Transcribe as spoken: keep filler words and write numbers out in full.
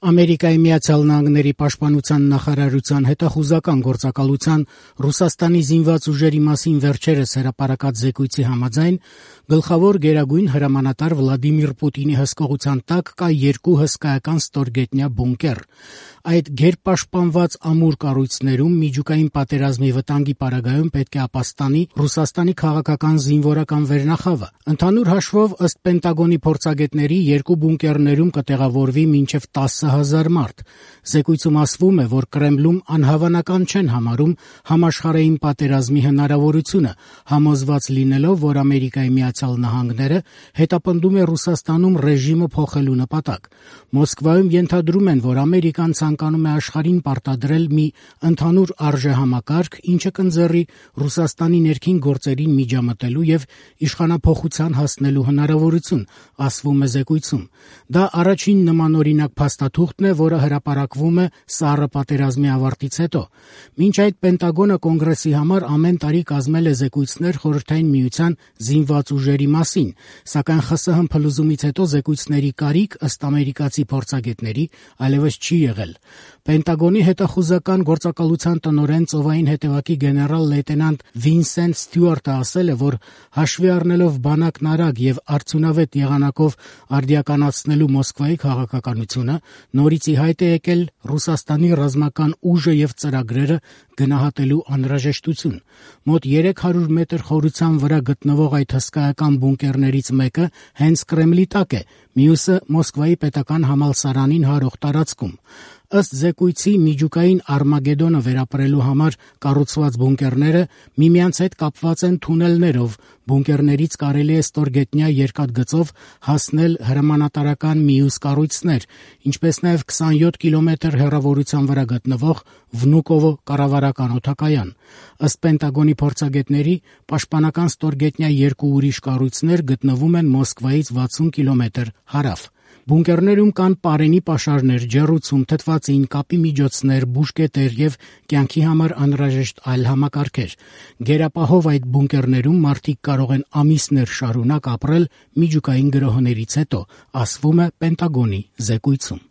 Ամերիկայի Միացյալ Նահանգների պաշտպանության նախարարության հետախուզական գործակալության Ռուսաստանի զինված ուժերի մասին վերջերս հրապարակած զեկույցի համաձայն, գլխավոր գերագույն հրամանատար Վլադիմիր Պուտինի հսկողության տակ կա երկու հսկայական ստորգետնյա բունկեր։ Այդ գերպաշտպանված ամուր կառույցներում միջուկային պատերազմի վտանգի պարագայում պետք է ապաստանի Ռուսաստանի քաղաքական զինվորական վերնախավը։ Ընդհանուր հաշվով, ըստ Պենտագոնի փորձագետների, երկու բունկերներում կտեղավորվի մինչև տասը հազար մարդ։ Զեկույցում ասվում է, որ Կրեմլում անհավանական չեն համարում համաշխարհային պատերազմի հնարավորությունը, համոզված լինելով, որ Ամերիկայի Միացյալ Նահանգները հետապնդում է Ռուսաստանում ռեժիմը փոխելու նպատակ։ Մոսկվայում ենթադրում են, որ Ամերիկան ցանկանում է աշխարհին պարտադրել մի ընդհանուր արժեհամակարգ, ինչը կընձեռի Ռուսաստանի ներքին գործերին միջամտելու եւ իշխանափոխության հասնելու հնարավորություն, ասվում է զեկույցում։ Դա առաջին նմանօրինակ փաստաթուղթն է, որը հրապարակվում է սառը պատերազմի ավարտից հետո։ Մինչ այդ Պենտագոնը կոնգրեսի համար ամեն տարի կազմել է զեկույցներ Խորհրդային Միության զինված ուժերի մասին, սակայն ԽՍՀՄ փլուզումից հետո զեկույցների կարիք, ըստ ամերիկացի փորձագետների, այլևս չի եղել։ Պենտագոնի հետախուզական գործակալության տնօրեն ծովային հետևակի գեներալ լեյտենանտ Վինսենտ Ստյուարտը ասել է, որ հաշվի առնելով բանակն արագ եւ արդյունավետ եղանակով արդիականացնելու Մոսկվայի քաղաքականությունը, նորից ի հայտ է եկել Ռուսաստանի ռազմական ուժը եւ ծրագրերը գնահատելու անհրաժեշտություն։ Մոտ երեք հարյուր մետր խորության վրա գտնվող այդ հսկայական բունկերներից մեկը հենց Կրեմլի տակ է, մյուսը Մոսկվայի պետական համալսարանին հարող տարածքում։ Ըստ զեկույցի, միջուկային Արմագեդոնը վերապրելու համար կառուցված բունկերները միմյանց հետ կապված են թունելներով։ Բունկերներից կարելի է ստորգետնյա երկաթգծով հասնել հրամանատարական մյուս կառույցներ, ինչպես նաև քսանյոթ կիլոմետր հեռավորության վրա գտնվող Վնուկովո կառավարական օդակայան։ Ըստ Պենտագոնի փորձագետների, պաշտպանական ստորգետնյա երկու ուրիշ կառույցներ գտնվում են Մոսկվայից վաթսուն կիլոմետր հարավ։ Բունկերներում կան պարենի պաշարներ, ջեռուցում, թթվածին, կապի միջոցներ, բուժկետեր եւ կյանքի համար անհրաժեշտ այլ համակարգեր։ Գերապահով այդ բունկերներում մարդիկ կարող են ամիսներ շարունակ ապրել միջուկային գրոհներից հետո, ասվում է Պենտագոնի զեկույցում։